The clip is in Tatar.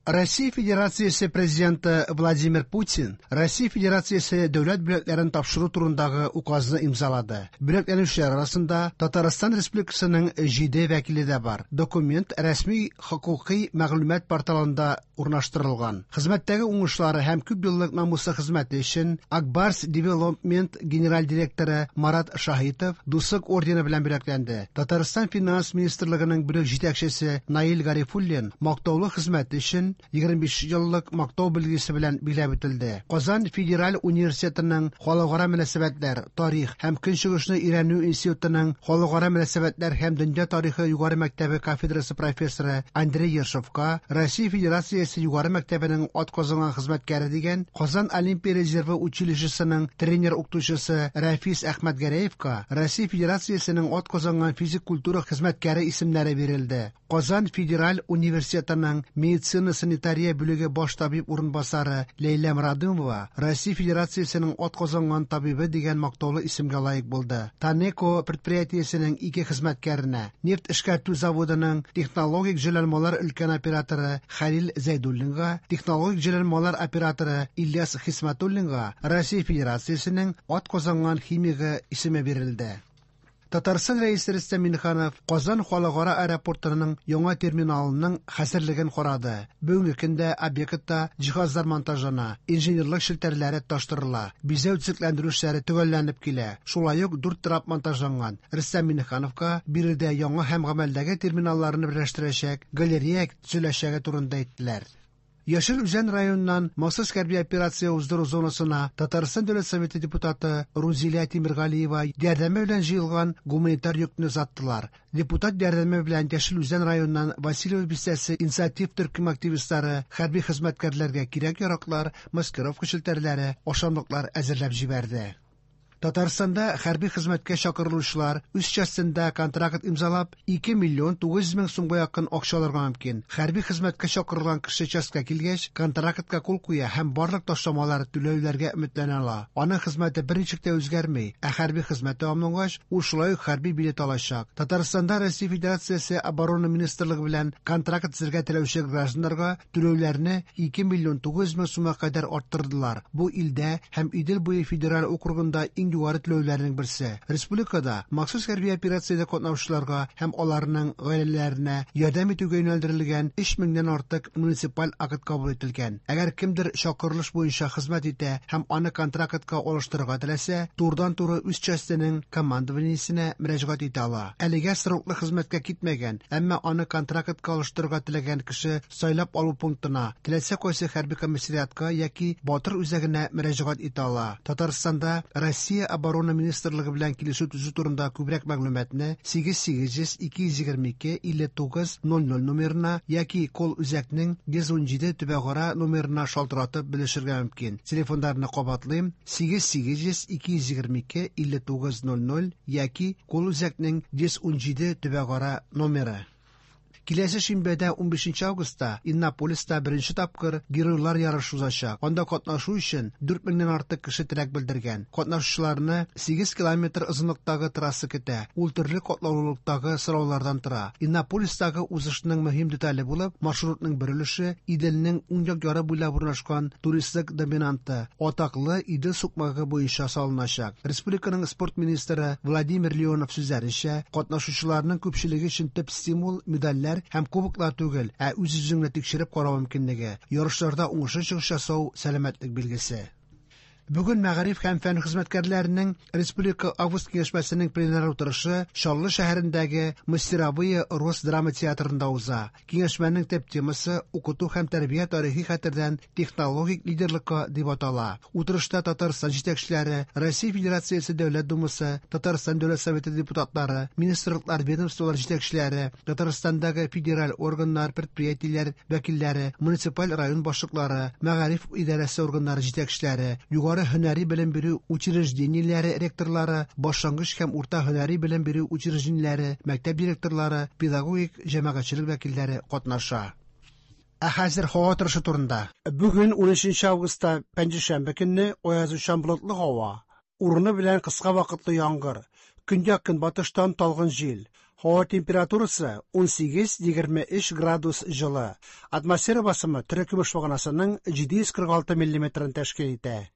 Россия Федерациясе Президенты Владимир Путин Россия Федерациясе дәүләт бүләкләрен тапшыру турындагы указны имзалады. Бүләкләнүчеләр арасында Татарстан Республикасының 7 вәкиле дә бар. Документ рәсми хокукый мәгълүмат порталында урнаштырылган. Хезмәттәге уңышлары һәм күп еллык намуслы хезмәте өчен Акбарс Девелопмент генераль директоры Марат Шаһитов Дуслык ордены белән бүләкләнде. Татарстан Финанс министрлыгының бүлек җитәкчесе Наил Гарифуллин мактаулы хезмәте өчен 25 еллык мактау билгесе белән билгеләп үтелде. Казан федераль университетының Халыкара мөнәсәбәтләр, тарих һәм көнчыгышны өйрәнү институтының Халыкара мөнәсәбәтләр һәм дөнья тарихы югары мәктәбе кафедрасы профессоры Андрей Ершовка Россия Федерациясе югары мәктәбенең атказанган хезмәткәре дигән, Казан Олимпия резервы училищесының тренер-укытучысы Рәфис Әхмәтгәрәевка Россия Федерациясенең атказанган физик культура хезмәткәре исемнәре бирелде. Казан федераль университетының медицина-санитария бүлеге баш табиб урынбасары Ләйлә Морадымова Россия Федерациясенең атказанган табибы дигән мактаулы исемгә лаек булды. Танеко предприятиесенең ике хезмәткәренә, нефть эшкәртү заводының технологик җайланмалар өлкән операторы Хәлил Зәйдуллинга, технологик җайланмалар операторы Ильяс Хисмәтуллинга Россия Федерациясенең атказанган химигы исеме бирелде. Татарстан Рәисе Рөстәм Миңнеханов Казан халыкара аэропортының яңа терминалының хәзерлеген карады. Бүгенге көндә объектта җиһазлар монтажлана, инженерлык челтәрләре тоташтырыла, бизәү төзекләндерү эшләре төгәлләнеп килә. Шулай ук дүрт трап монтажланган. Рөстәм Миңнехановка биредә яңа һәм гамәлдәге терминалларны берләштерәчәк галерея төзеләчәге турында әйттеләр. Яшел Үзән районыннан махсус хәрби операция уздыру зонасына Татарстан Дәүләт Советы депутаты Рузилә Тимергалиева ярдәме белән җыелган гуманитар йөкне озаттылар. Депутат ярдәме белән Яшел Үзән районыннан Васильево бистәсе инициатив төркем активистлары хәрби хезмәткәрләргә кирәк-яраклар, маскировка челтәрләре, ашамлыклар әзерләп җибәрде. Татарстанда хәрби хезмәткә чакырылучылар үз частендә контракт имзалап, 2 миллион 900 мең сумга якын акча алырга мөмкин. Хәрби хезмәткә чакырылган кеше частькә килгәч, контрактка кул куя һәм барлык ташламалар түләүләргә өметләнә ала. Аның хезмәте берничек тә үзгәрми, ә хәрби хезмәт тәмамлангач, ул шулай ук хәрби билет алачак. Татарстанда Россия Федерациясе Оборона министрлыгы белән контракт төзергә теләүче гражданнарга түләүләрне 2 миллион 900 мең сумга кадәр арттырдылар. Бу илдә һәм Идел буе федераль округында иң югары түләүләрнең берсе. Республикада махсус хәрби операциядә катнашучыларга һәм аларның гаиләләренә ярдәм итүгә юнәлдерелгән 3 меңнән артык муниципаль акт кабул ителгән. Әгәр кемдер чакырылыш буенча хезмәт итә һәм аны контрактка алыштырырга теләсә, турыдан-туры үз частенең командованиесенә мөрәҗәгать итә ала. Әлегә сроклы хезмәткә китмәгән, әмма аны контрактка алыштырырга теләгән кеше сайлап алу пунктына, теләсә кайсы хәрби комиссариатка яки Батыр үзәгенә мөрәҗәгать итә ала. Татарстанда Россия Оборона министрлыгы белән килешү төзү турында күбрәк мәгълүматны 8800 222 59 00 номерына яки колл-үзәкнең 117 төбәкара номерына шалтыратып белешергә мөмкин. Телефоннарны кабатлыйм: 8800 222 59 00 яки колл-үзәкнең 117 төбәкара номеры. Киләсе шимбәдә 15 августта Иннополиста беренче тапкыр Геройлар ярышы узачак. Анда катнашу өчен 4 меңнән артык кеше теләк белдергән. Катнашучыларны 8 километр озынлыктагы трасса көтә. Ул төрле катлаулылыктагы сораулардан тора. Иннополистагы узышның мөһим детале булып, маршрутның бер өлеше Иделнең уң як яры буйлап урнашкан туристлык доминанты, атаклы Идел сукмагы буенча салыначак. Республиканың спорт министры Владимир Леонов сүзләренчә, катнашучыларның күпчелеге өчен төп стимул медальләр һәм кубоклар түгел, ә үз-үзеңне тикшереп карау мөмкинлеге. Ярышларда уңышлы чыгыш ясау сәламәтлек билгесе. Бүген мәгариф һәм фән хезмәткәрләренең Республика август киңәшмәсенең пленар утырышы Чаллы шәһәрендәге Мастеровые Рос драма театрында уза. Киңәшмәнең төп темасы укыту һәм тәрбия тарихи хәтердән технологик лидерлыкка дип атала. Утырышта Татарстан җитәкчеләре, Россия Федерациясе Дәүләт Думасы, Татарстан Дәүләт Советы депутатлары, министрлыклар, ведомстволар җитәкчеләре, Татарстандагы федераль органнар, предприятиеләр вәкилләре, муниципаль район башлыклары, мәгариф идарәсе органнары җитәкчеләре, югары һөнәри белем бирү учреждениеләре ректорлары, башлангыч һәм урта һөнәри белем бирү учреждениеләре, мәктәп директорлары, педагогик җәмәгатьчелек вәкилләре катнаша. Ә хәзер һава торышы турында. Бүген 13 августта пәнҗешәмбе көнне аязучан болытлы һава. Урыны белән кыска вакытлы яңгыр. Көньяк-көнбатыштан талгын җил. Һава температурасы 18-23 градус җылы. Атмосфера басымы терекөмеш баганасының 746 миллиметрын тәшкил итә.